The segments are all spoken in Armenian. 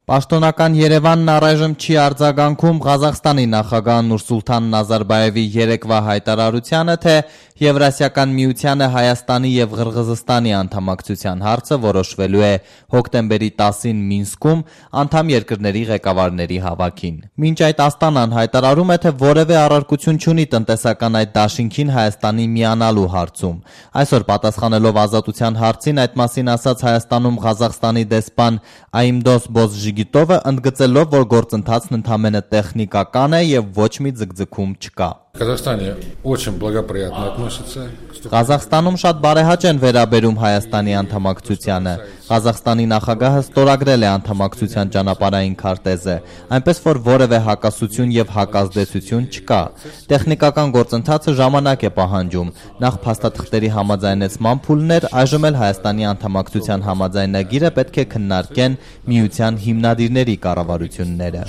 Պաշտոնական Երևանն առայժմ չի արձագանքում Ղազախստանի նախագահ Նուրսուլթան Նազարբայևի երեկվա հայտարարությանը, թե Եվրասիական միությանը Հայաստանի եւ Ղրղզստանի անդամակցության հարցը որոշվելու է հոկտեմբերի 10-ին Մինսկում անդամ երկրների ղեկավարների հավաքին։ Մինչ այդ Աստանան հայտարարում է, թե որևէ առարկություն չունի տնտեսական այդ դաշինքին Հայաստանի միանալու հարցում։ Այսօր պատասխանելով Ազատության հարցին այդ մասին ասաց Հայաստանում Ղազախստանի դեսպան Այմդոս Բոզժիգիտովը, ընդգծելով, որ գործընթացն ընդամենը տեխնիկական է եւ ոչ մի ձգձգում չկա։ Ղազախստանում շատ բարեհաճ են վերաբերում Հայաստանի անդամակցությանը։ Ղազախստանի նախագահը ստորագրել է անդամակցության ճանապարհային քարտեզը, այնպես որ որևէ հակասություն եւ հակազդեցություն չկա։ Տեխնիկական գործընթացը ժամանակ է պահանջում։ Նախ փաստաթղթերի համաձայնեցման փուլներ, այժմ էլ Հայաստանի անդամակցության համաձայնագիրը պետք է քննարկեն միության հիմնադիրների կառավարությունները։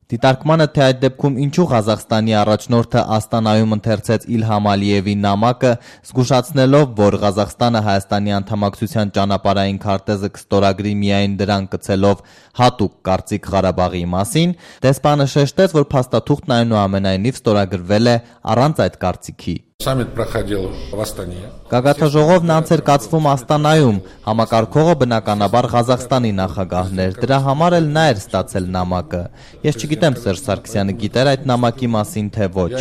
Դիտարկմանը, թե այդ դեպքում ինչու Ղազախստանի առաջնորդը Աստանայում ընթերցեց Իլհամ Ալիևի նամակը, զգուշացնելով, որ Ղազախստանը Հայաստանի անդամակցության ճանապարհային քարտեզը կստորագրի միայն դրան կցելով հատուկ կարծիք Ղարաբաղի մասին, դեսպանը շեշտեց, որ փաստաթուղթն այնուամենայնիվ ստորագրվել է առանց այդ կարծիքի։ Գագաթնաժողովն անց էր կացվում Աստանայում, համակարգողը բնականաբար Ղազախստանի նախագահն էր, դրա համար էլ նա էր ստացել նամակը։ Ես չգիտեմ Սերժ Սարգսյանը գիտեր այդ նամակի մասին, թե ոչ։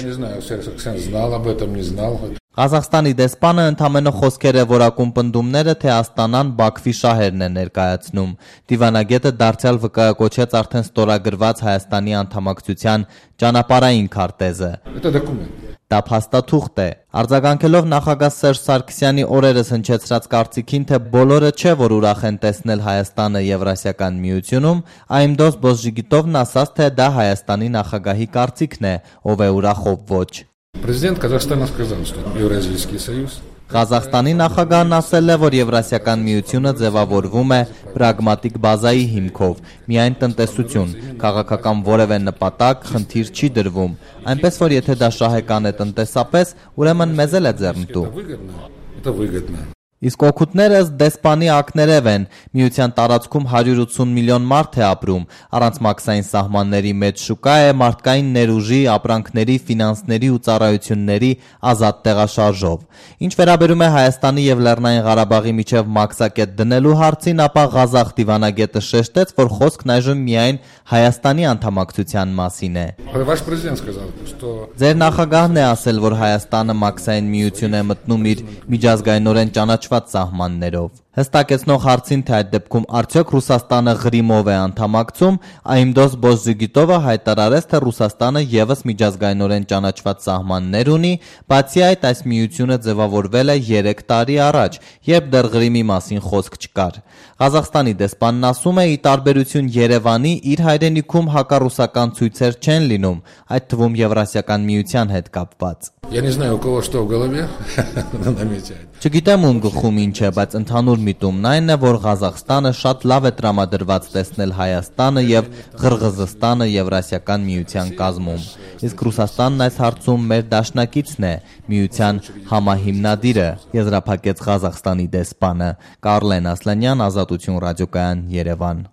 Ղազախստանի դեսպանը ընդամենը խոսքեր է որակում պնդումները, թե Աստանան Բաքվի շահերն է ներկայացնում։ Դիվանագետը դարձյալ վկայակոչեց արդեն ստորագրված Հայաստանի անդամակցության ճանապարհային քարտեզը։ Դա փաստաթուղթ է։ Արձագանքելով նախագահ Սերժ Սարգսյանի օրերս հնչեցրած կարծիքին, թե բոլորը չէ, որ ուրախ են տեսնել Հայաստանը Եվրասիական միությունում, Այմդոս Բոզժիգիտովն ասաց, թե դա Հայաստանի նախագահի կարծիքն է, ով է ուրախ, ով ոչ։ Ղազախստանի նախագահն ասել է, որ Եվրասիական միությունը ձևավորվում է պրագմատիկ բազայի հիմքով, միայն տնտեսություն, քաղաքական որևէ նպատակ, խնդիր չի դրվում, այնպես որ եթե դա շահեկան է տնտեսապես, ուրեմն մեզ էլ է ձեռնտու։ Իսկ օգուտները ըստ դեսպանի ակներև են, միության տարածքում 180 միլիոն մարդ է ապրում, առանց մաքսային սահմանների մեջ շուկա է, մարդկային ներուժի, ապրանքների, ֆինանսների ու ծառայությունների ազատ տեղաշարժով։ Ինչ վերաբերում է Հայաստանի եւ Լեռնային Ղարաբաղի միջև մաքսակետ դնելու հարցին, ապա Ղազախ դիվանագետը շեշտեց, որ խոսքն այժմ միայն Հայաստանի անդամակցության մասին է։ Ձեր նախագահն է ասել, որ Հայաստանը մաքսային միություն է մտնում իր միջազգայինորեն ճանաչված սահմաններով։ Հստակեցնող հարցին, թե այդ դեպքում արդյոք Ռուսաստանը Ղրիմով է անդամակցում, Այմդոս Բոզժիգիտովը հայտարարեց, թե Ռուսաստանը եւս միջազգայինորեն ճանաչված սահմաններ ունի, բացի այդ այս միությունը ձևավորվել է 3 տարի առաջ, երբ դեռ Ղրիմի մասին խոսք չկար։ Ղազախստանի դեսպանն ասում է, ի տարբերություն Երևանի, իր հայրենիքում հակառուսական ցույցեր չեն լինում, այդ թվում Եվրասիական միության հետ կապված։ Չգիտեմ ում գլխում ինչ է, բայց ընդհանուր միտումն այն է, որ Ղազախստանը շատ լավ է տրամադրված տեսնել Հայաստանը եւ Ղրղզստանը Եվրասիական միության կազմում։ Իսկ Ռուսաստանն այս հարցում մեր դաշնակիցն է, միության համահիմնադիրը, եզրափակեց Ղազախստանի դեսպանը։ Կարլեն Ասլանյան, Ազատություն ռադիոկայան, Երևան։